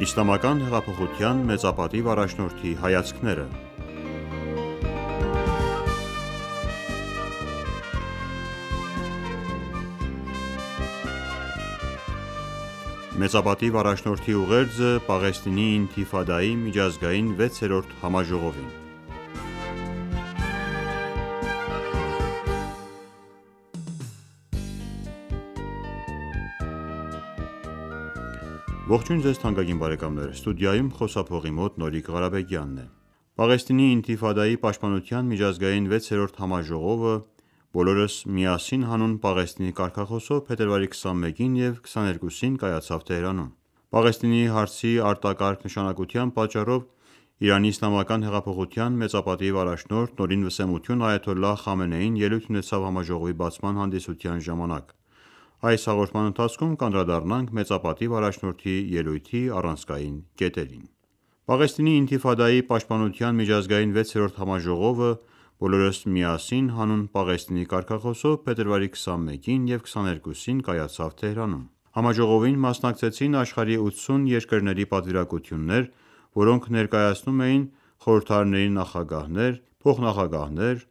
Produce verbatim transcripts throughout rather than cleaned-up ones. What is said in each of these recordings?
Իսլամական հեղափոխության մեծապատիվ առաջնորդի հայացքները։ Մեծապատիվ առաջնորդի ուղերձը Պաղեստինի ինթիֆադայի միջազգային վեցերորդ համաժողովին։ Ողջույն ձեզ թանկագին բարեկամներ, ստուդիայում խոսափողի մոտ Նորիկ Ղարաբեգյանն է։ Պաղեստինի ինթիֆադայի պաշտպանության միջազգային վեցերորդ համաժողովը «Բոլորս միասին» հանուն Պաղեստինի կարգախոսով փետրվարի քսանմեկին և քսաներկուսին կայացավ Թեհրանում։ Պաղեստինի հարցի արտակարգ նշանակության պատճառով Իրանի իսլամական հեղափոխության մեծապատիվ առաջնորդ Նորին Վսեմություն Այաթոլլահ Խամենեին ելույթ ունեցավ համաժողովի բացման հանդիսության ժամանակ։ Այս հաղորդման ընթացքում կանդրադառնանք մեծապատիվ առաջնորդի ելույթի առանցքային կետերին։ Պաղեստինի ինթիֆադայի պաշտպանության միջազգային վեցերորդ համաժողովը «Բոլորս միասին» հանուն Պաղեստինի կարգախոսով փետրվարի քսանմեկին և քսաներկուսին կայացավ Թեհրանում։ Համաժողովին մասնակցեցին աշխարհի ութսուն երկրների պատվիրակություններ, որոնք ներկայացնում էին խորհրդարանների նախագահներ, փոխնախագահներ,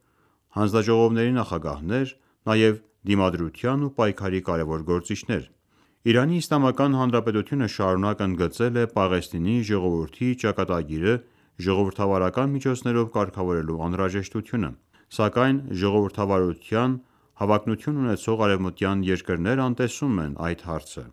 հանձնաժողովների նախագահներ, նաև դիմադրության ու պայքարի կարևոր գործիչներ։ Իրանի Իսլամական Հանրապետությունը շարունակ ընդգծել է Պաղեստինի ժողովրդի ճակատագիրը ժողովրդավարական միջոցներով կարգավորելու անհրաժեշտությունը, սակայն ժողովրդավարության հավակնություն ունեցող արևմտյան երկրներ անտեսում են այդ հարցը,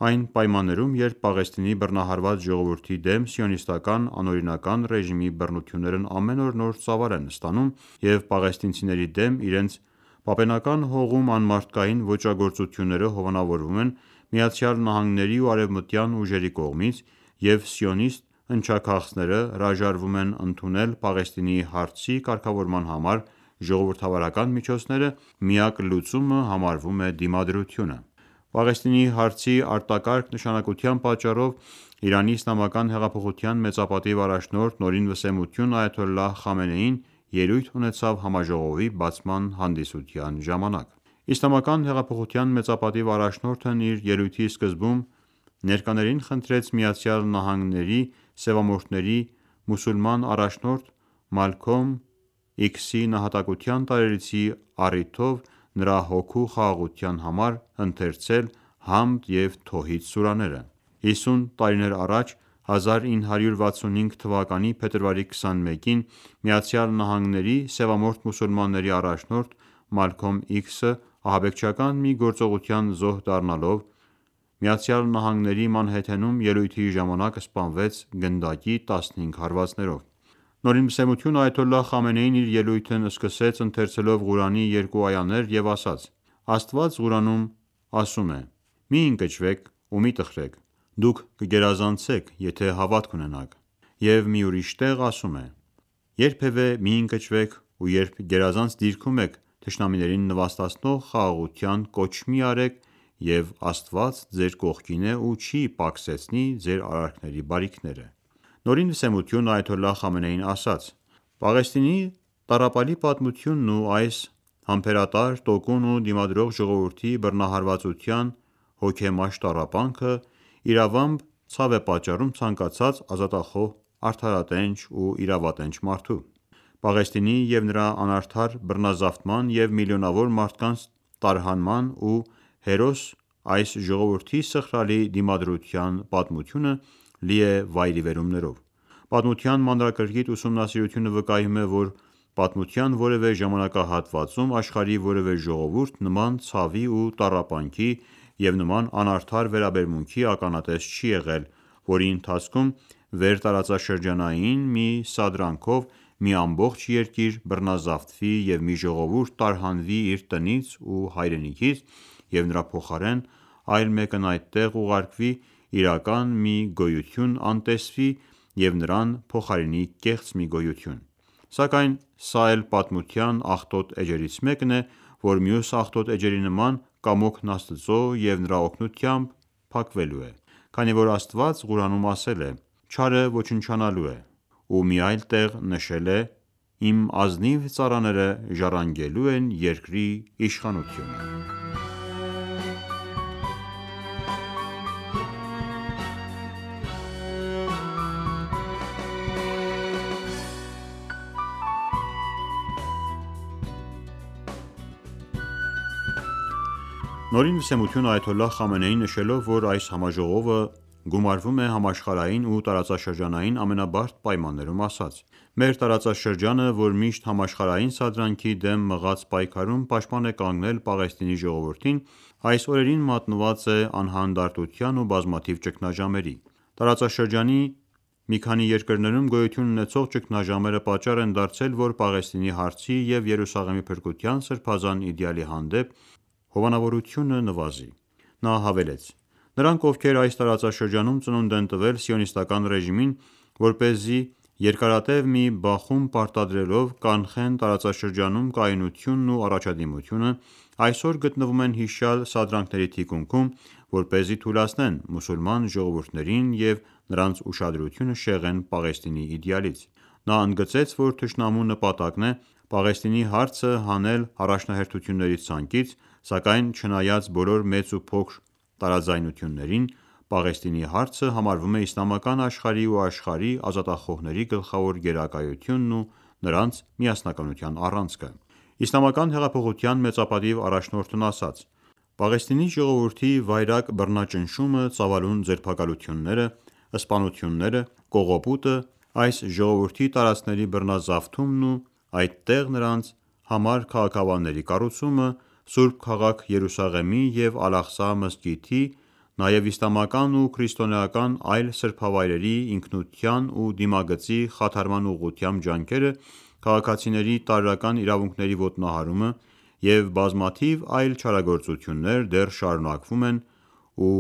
այն պայմաններում, երբ Պաղեստինի բռնահարված ժողովրդի դեմ սիոնիստական անօրինական ռեժիմի բռնություններն ամեն օր նոր ծավալ են ստանում և պաղեստինցիների դեմ իրենց պապենական հողում անմարդկային ոճրագործությունները հովանավորվում են ԱՄՆ-ի ու արևմտյան ուժերի կողմից, և սիոնիստ ընչաքաղցները հրաժարվում են ընդունել Պաղեստինի հարցի կարգավորման համար ժողովրդավարական միջոցները, միակ լուծումը համարվում է դիմադրությունը։ Պաղեստինի հարցի արտակարգ նշանակության պատճառով Իրանի իսլամական հեղափոխության մեծապատիվ առաջնորդ Նորին Վսեմություն Այաթոլլահ Խամենեին ելույթ ունեցավ համաժողովի բացման հանդիսության ժամանակ։ Իսլամական հեղափոխության մեծապատիվ առաջնորդն իր ելույթի սկզբում ներկաներին խնդրեց ԱՄՆ-ի սևամորթների մուսուլման առաջնորդ Մալքոմ Իքսի նահատակության տարելիցի առիթով նրա հոգու խաղաղության համար ընթերցել Համդ և Թոհիդ սուրաները։ հիսուն տարիներ առաջ հազար ինը հարյուր վաթսունհինգ թվականի փետրվարի քսանմեկին ԱՄՆ-ի սևամորթ մուսուլմանների առաջնորդ Մալքոմ Իքսը ահաբեկչական մի գործողության զոհ դառնալով ԱՄՆ-ի Մանհեթենում ելույթի ժամանակ սպանվեց գնդակի տասնհինգ հարվածներով։ Նորին Վսեմություն Այաթոլլահ Խամենեին իր ելույթն սկսեց ընթերցելով Ղուրանի երկու այաներ և ասաց. «Աստված Ղուրանում ասում է. «Մի ընկճվեք ու մի տխրեք, դուք կգերազանցեք, եթե հավատք ունենաք»։ Եվ մի ուրիշ տեղ ասում է. «Երբևէ մի ընկճվեք ու երբ գերազանց դիրքում եք, թշնամիներին նվաստացնող խաղաղության կոչ մի արեք, և Աստված ձեր կողքին է ու չի պակսեցնի ձեր արարքների բարիքները»։ Նորին Վսեմություն Այաթոլլահ Խամենեին ասաց. «Պաղեստինի տառապալի պատմությունն ու այս համբերատար, տոկուն ու դիմադրող ժողովրդի բռնահարվածության հոգեմաշ տառապանքը իրավամբ ցավ է պատճառում ցանկացած ազատախոհ, արդարատենչ ու իրավատենչ մարդու։ Պաղեստինի և նրա անարդար բռնազավթման և միլիոնավոր մարդկանց տարհանման ու հերոս այս ժողովրդի սխրալի դիմադրության պատմությունը լի է վայրիվերումներով։ Պատմության մանրակրկիտ ուսումնասիրությունը վկայում է, որ պատմության որևէ ժամանակահատվածում աշխարհի որևէ ժողովուրդ նման ցավի ու տառապանքի և նման անարդար վերաբերմունքի ականատես չի եղել, որի ընթացքում վերտարածաշրջանային մի սադրանքով մի ամբողջ երկիր բռնազավթվի և մի ժողովուրդ տարհանվի իր տնից ու հայրենիքից, և նրա փոխարեն այլ մեկն այդտեղ ուղարկվի, իրական մի գոյություն անտեսվի և նրան փոխարինի կեղծ մի գոյություն։ Սակայն սա էլ պատմության աղտոտ էջերից մեկն է, որ մյուս աղտոտ էջերի նման կամոքն Աստծո և նրա օգնությամբ փակվելու է, քանի որ Աստված Ղուրանում ասել է. «Չարը ոչնչանալու է», ու մի այլ տեղ նշել է. «Իմ ազնիվ ծառաները ժառանգելու են երկրի իշխանությունը»։ Նորին վսեմություն այաթոլլահ Խամենեին նշելով, որ այս համաժողովը գումարվում է համաշխարհային ու տարածաշրջանային ամենաբարդ պայմաններում, ասաց. «Մեր տարածաշրջանը, որ միշտ համաշխարհային սադրանքի դեմ մղած պայքարում պաշտպան է կանգնել Պաղեստինի ժողովրդին, այս օրերին մատնված է անհանդարտության ու բազմաթիվ ճգնաժամերի։ Տարածաշրջանի մի քանի երկրներում գոյություն ունեցող ճգնաժամերը պատճառ են դարձել, որ Պաղեստինի հարցի և Երուսաղեմի փրկության սրբազան իդեալի հանդեպ հովանավորությունը նվազի»։ Նա հավելեց. «Նրանք, ովքեր այս տարածաշրջանում ծնունդ են տվել սիոնիստական ռեժիմին, որպեսզի երկարատև մի բախում պարտադրելով կանխեն տարածաշրջանում կայունությունն ու առաջադիմությունը, այսօր գտնվում են հիշյալ սադրանքների թիկունքում, որպեսզի թուլացնեն մուսուլման ժողովուրդներին և նրանց ուշադրությունը շեղեն Պաղեստինի իդեալից»։ Նա ընդգծեց, որ թշնամու նպատակն է Պաղեստինի հարցը հանել առաջնահերթությունների ցանկից, սակայն չնայած բոլոր մեծ ու փոքր տարաձայնություններին, Պաղեստինի հարցը համարվում է իսլամական աշխարհի ու աշխարհի ազատախոհների գլխավոր գերակայությունն ու նրանց միասնականության առանցքը։ Իսլամական հեղափոխության մեծապատիվ առաջնորդն ասաց. «Պաղեստինի ժողովրդի վայրագ բռնաճնշումը, ծավալուն ձերբակալությունները, սպանությունները, կողոպուտը, այս ժողովրդի տարածքների բռնազավթումն ու այդտեղ նրանց համար քաղաքավանների կառուցումը, Սուրբ քաղաք Երուսաղեմի և Ալ-Աղսա մզկիթի, նաև իսլամական ու քրիստոնեական այլ սրբավայրերի ինքնության ու դիմագծի խաթարման ուղղությամբ ջանքերը, քաղաքացիների տարրական իրավունքների ոտնահարումը և բազմաթիվ այլ չարագործություններ դեռ շարունակվում են ու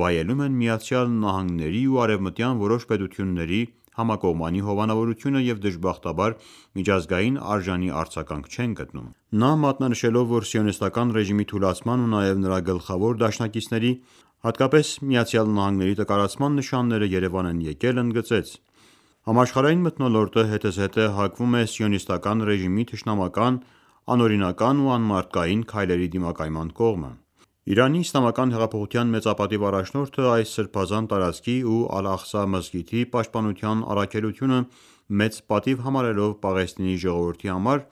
վայելում են ԱՄՆ-ի ու արևմտյան որոշ պետությունների համակողմանի հովանավորությունը և դժբախտաբար միջազգային արժանի արձագանք չեն գտնում»։ Նա մատնանշելով, որ սիոնիստական ռեժիմի թուլացման ու նաև նրա գլխավոր դաշնակիցների, հատկապես ԱՄՆ-ի տկարացման նշանները Երևան են եկել, ընդգծեց. «Համաշխարհային մթնոլորտը հետզհետե հակվում է սիոնիստական ռեժիմի թշնամական, անօրինական ու անմարդկային քայլերի դիմակայման կողմը»։ Իրանի իսլամական հեղափոխության մեծապատիվ առաջնորդը այս սրբազան տարածքի ու Ալ-Աղսա մզկիթի պաշտպանության առաքելությունը մեծ պատիվ համարելով Պաղեստինի ժողովրդի համար,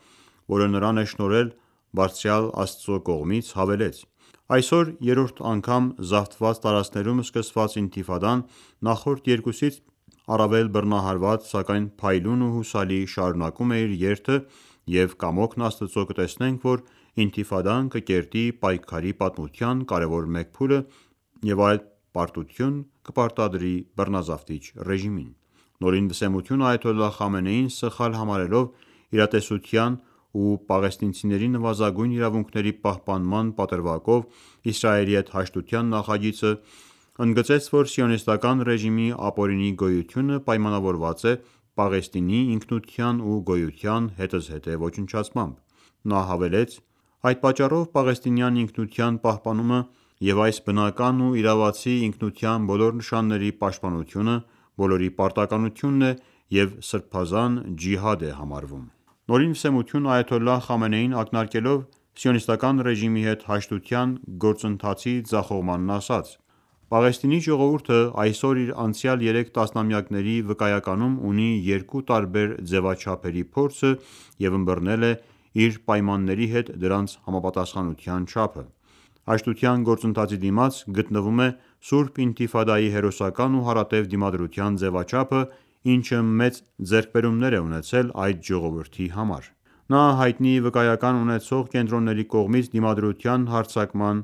որը նրան է շնորհել Բարձրյալ Աստծո կողմից, հավելեց. «Այսօր երրորդ անգամ զավթված տարածքներում սկսված ինթիֆադան նախորդ երկուսից առավել բռնահարված, սակայն փայլուն ու հուսալի շարունակում է իր երթը և կամոքն Աստծո կտեսնենք, որ ինթիֆադան կկերտի պայքարի պատմության կարևոր մեկ փուլը և այդ պարտություն կպարտադրի բռնազավթիչ ռեժիմին»։ Նորին վսեմություն այաթոլլահ Խամենեին սխալ համարելով իրատեսության ու պաղեստինցիների նվազագույն իրավունքների պահպանման պատրվակով Իսրայելի հետ հաշտության նախագիծը, ընդգծեց, որ սիոնիստական ռեժիմի ապօրինի գոյությունը պայմանավորված է Պաղեստինի ինքնության ու գոյության հետզհետե ոչնչացմամբ։ Նա հավելեց. «Այդ պատճառով պաղեստինյան ինքնության պահպանումը և այս բնական ու իրավացի ինքնության բոլոր նշանների պաշտպանությունը բոլորի պարտականությունն է և սրբազան ջիհադ է համարվում»։ Նորին վսեմություն այաթոլլահ Խամենեին ակնարկելով սիոնիստական ռեժիմի հետ հաշտության գործընթացի ձախողմանն ասաց. «Պաղեստինի ժողովուրդը այսօր իր անցյալ երեք տասնամյակների վկայականում ունի երկու տարբեր ձևաչափերի փորձը և ըմբռնել է իր պայմանների հետ դրանց համապատասխանության չափը։ Հաշտության գործընթացի դիմաց գտնվում է Սուրբ ինթիֆադայի հերոսական ու հարատև դիմադրության ձևաչափը, ինչը մեծ ձեռքբերումներ է ունեցել այդ ժողովրդի համար։ Նա հայտնի վկայական ունեցող կենտրոնների կողմից դիմադրության հարձակման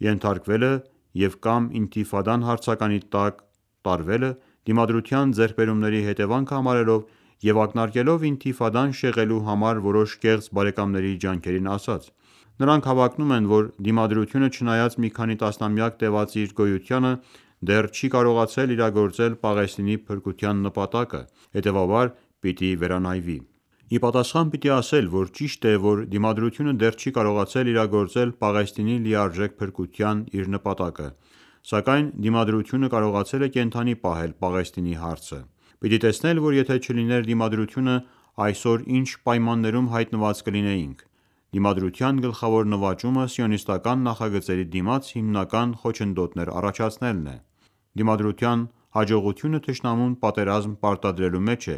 ենթարկվելը և կամ ինթիֆադան հարցականի տակ տարվելը դիմադրության ձեռքբերումների հետևանքը համարելով և ակնարկելով ինթիֆադան շեղելու համար որոշ կեղծ բարեկամների ջանքերին, ասաց. «Նրանք հավակնում են, որ դիմադրությունը չնայած մի քանի տասնամյակ տևած իր գոյությանը, դեռ չի կարողացել իրագործել Պաղեստինի փրկության նպատակը, հետևաբար պիտի վերանայվի։ Ի պատասխան պիտի ասել, որ ճիշտ է, որ դիմադրությունը դեռ չի կարողացել իրագործել Պաղեստինի լիարժեք փրկության իր նպատակը, սակայն դիմադրությունը կարողացել է կենդանի պահել Պաղեստինի հարցը։ Պիտի տեսնել, որ եթե չլիներ դիմադրությունը, այսօր ինչ պայմաններում հայտնված կլինեինք։ Դիմադրության գլխավոր նվաճումը սիոնիստական նախագծերի դիմաց հիմնական խոչընդոտներ առաջացնելն է։ Դիմադրության հաջողությունը թշնամուն պատերազմ պարտադրելու մեջ է,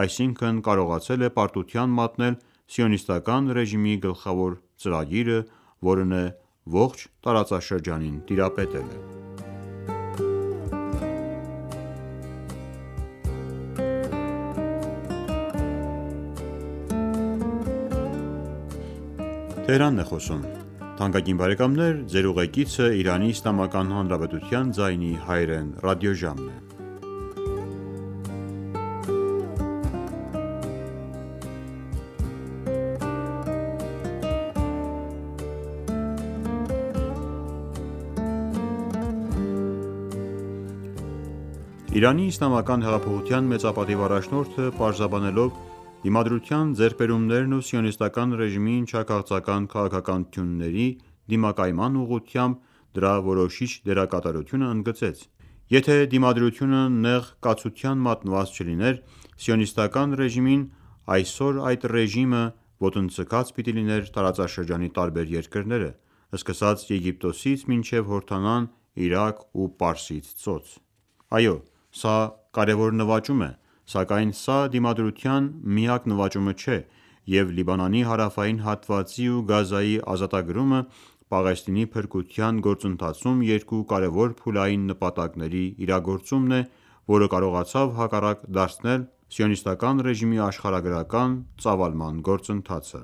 այսինքն կարողացել է պարտության մատնել սիոնիստական ռեժիմի գլխավոր ծրագիրը, որն է ողջ տարածաշրջանին տիրապետել է։ Իրանի իսլամական հեղափոխության մեծապատիվ առաջնորդը պարզաբանելով դիմադրության ձեռքբերումներն ու սիոնիստական ռեժիմի ընչաքաղցական քաղաքականությունների դիմակայման ուղղությամբ դրա որոշիչ դերակատարությունը ընդգծեց. «Եթե դիմադրությունը նեղ կացության մատնված չլիներ, սիոնիստական ռեժիմին, այսօր այդ ռեժիմը ոտնձգած պիտի լիներ տարածաշրջանի տարբեր երկրները, սկսած Եգիպտոսից մինչև Հորդանան, Իրաք ու Պարսից ծոց»։ Այո, սա կարևոր նվաճում է, սակայն սա դիմադրության միակ նվաճումը չէ, և Լիբանանի հարավային հատվածի ու Գազայի ազատագրումը Պաղեստինի փրկության գործընթացում երկու կարևոր փուլային նպատակների իրագործումն է, որը կարողացավ հակառակ դարձնել սիոնիստական ռեժիմի աշխարհագրական ծավալման գործընթացը։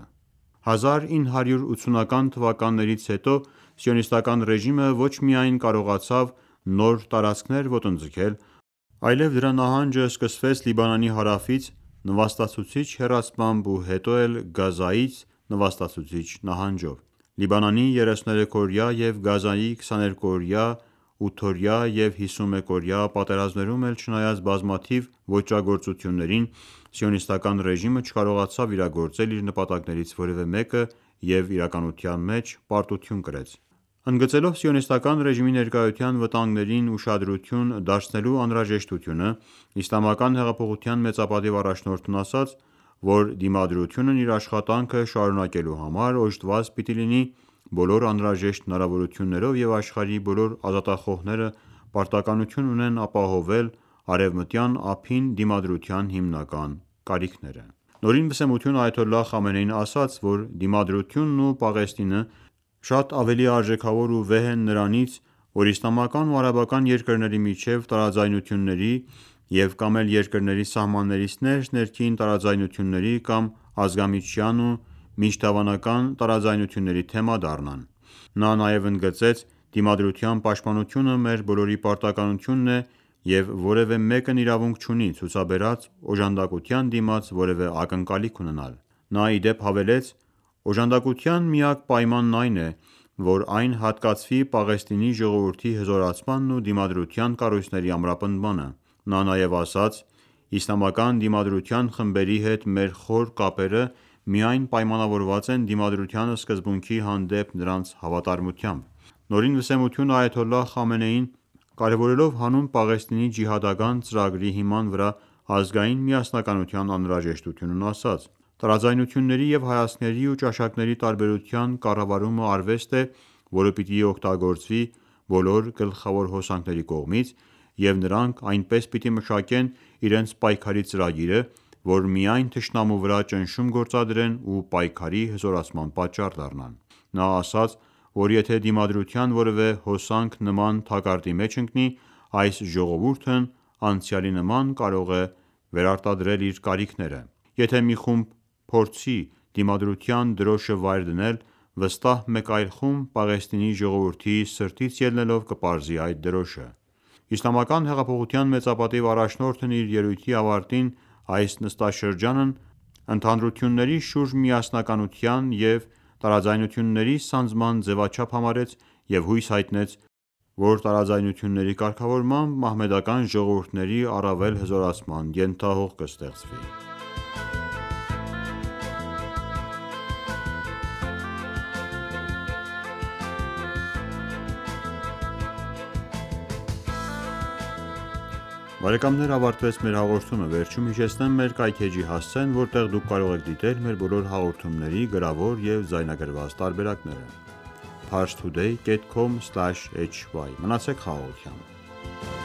հազար ինը հարյուր ութսունական թվականներից հետո սիոնիստական ռեժիմը ոչ միայն կարողացավ նոր տարածքներ ոտնձգել, այլև դրա նահանջը սկսվեց Լիբանանի հարավից նվաստացուցիչ հեռացմամբ ու հետո էլ Գազայից նվաստացուցիչ նահանջով։ Լիբանանի երեսուներեքօրյա և Գազայի քսաներկուօրյա, ութօրյա և հիսունմեկօրյա պատերազմներում էլ չնայած բազմաթիվ ոճրագործություններին, սիոնիստական ռեժիմը չկարողացավ իրագործել իր նպատակներից որևէ մեկը և իրականության մեջ պարտություն կրեց։ Ընդգծելով սիոնիստական ռեժիմի ներկայության վտանգներին ուշադրություն դարձնելու անհրաժեշտությունը, Իսլամական հեղափոխության մեծապատիվ առաջնորդն ասաց, որ դիմադրությունն իր աշխատանքը շարունակելու համար օժտված պիտի լինի բոլոր անհրաժեշտ հնարավորություններով և աշխարհի բոլոր ազատախոհները պարտականություն ունեն ապահովել արևմտյան ափին դիմադրության հիմնական կարիքները։ Նորին վսեմություն Այաթոլլահ Խամենեին ասաց, որ դիմադրությունն ու Պաղեստինը շատ ավելի արժեքավոր ու վեհ են նրանից, որ իսլամական ու արաբական երկրների միջև տարաձայնությունների և կամ էլ երկրների սահմաններից ներս ներքին տարաձայնությունների կամ ազգամիջյան ու միջդավանական տարաձայնությունների թեմա դառնան։ Նա նաև ընդգծեց. «Դիմադրության պաշտպանությունը մեր բոլորի պարտականությունն է և որևէ մեկն իրավունք չունի ցուցաբերած օժանդակության դիմաց որևէ ակնկալիք ունենալ»։ Նա ի դեպ հավելեց. «Օժանդակության միակ պայմանն այն է, որ այն հատկացվի Պաղեստինի ժողովրդի հզորացմանն ու դիմադրության կառույցների ամրապնդմանը»։ Նա նաև ասաց. «Իսլամական դիմադրության խմբերի հետ մեր խոր կապերը միայն պայմանավորված են դիմադրության սկզբունքի հանդեպ նրանց հավատարմությամբ»։ Նորին վսեմություն Այաթոլլահ Խամենեին, կարևորելով հանուն Պաղեստինի ջիհադական ծրագրի հիման վրա ազգային միասնականության անհրաժեշտությունն ասաց. «Տարաձայնությունների և հայացքների ու ճաշակների տարբերության կառավարումը արվեստ է, որը պիտի օգտագործվի բոլոր գլխավոր հոսանքների կողմից, և նրանք այնպես պիտի մշակեն իրենց պայքարի ծրագիրը, որ միայն թշնամու վրա ճնշում գործադրեն ու պայքարի հզորացման պատճառ դառնան»։ Նա ասաց, որ եթե դիմադրության որևէ հոսանք նման թակարդի մեջ ընկնի, այս ժողովուրդն անցյալի նման կարող է վերարտադրել իր կարիքները։ Եթե մի խումբ փորձի դիմադրության դրոշը վայր դնել, վստահ մեկ այլ խումբ Պաղեստինի ժողովրդի սրտից ելնելով կպարզի այդ դրոշը։ Իսլամական հեղափոխության մեծապատիվ առաջնորդն իր ելույթի ավարտին այս նստաշրջանն ընդհանրությունների շուրջ միասնականության և տարաձայնությունների սանձման ձևաչափ համարեց և հույս հայտնեց, որ տարաձայնությունների կարգավորմամբ մահմեդական ժողովուրդների առավել հզորացման ենթահող կստեղծվի։ Բարեկամներ, ավարտվեց մեր հաղորդումը։ Վերջում հիշեցնեմ մեր կայքէջի հասցեն, որտեղ դուք կարող եք դիտել մեր բոլոր հաղորդումների գրավոր և ձայնագրված տարբերակները։ Parstoday dot com slash hy Մնացեք խաղաղությամբ։